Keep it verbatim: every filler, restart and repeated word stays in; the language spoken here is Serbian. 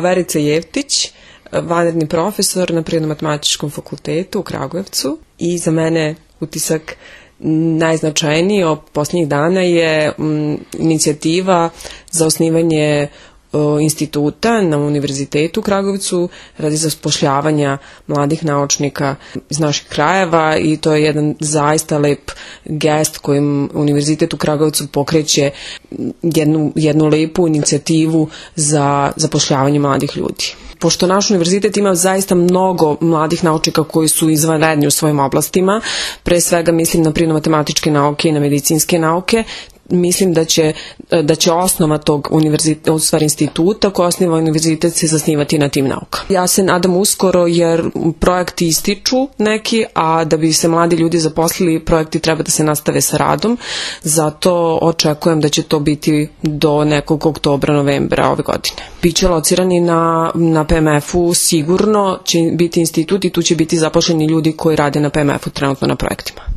Verica Jevtić, vanredni profesor na Prirodno-matematičkom fakultetu u Kragujevcu, i za mene utisak najznačajniji od posljednjih dana je m, inicijativa za osnivanje o, instituta na Univerzitetu u Kragujevcu radi zapošljavanja mladih naučnika iz naših krajeva, i to je jedan zaista lep gest kojim Univerzitet u Kragujevcu pokreće jednu, jednu lepu inicijativu za zapošljavanje mladih ljudi. Pošto naš univerzitet ima zaista mnogo mladih naučnika koji su izvanredni u svojim oblastima, pre svega mislim na prirodno-matematičke nauke i na medicinske nauke, mislim da će, da će osnova tog univerziteta, u stvari instituta koji osniva univerzitet, se zasnivati na tim naukama. Ja se nadam uskoro, jer projekti ističu neki, a da bi se mladi ljudi zaposlili, projekti treba da se nastave sa radom, zato očekujem da će to biti do nekog oktobra, novembra ove godine. Biće locirani na, na P M F-u, sigurno će biti institut i tu će biti zaposleni ljudi koji rade na P M F-u trenutno na projektima.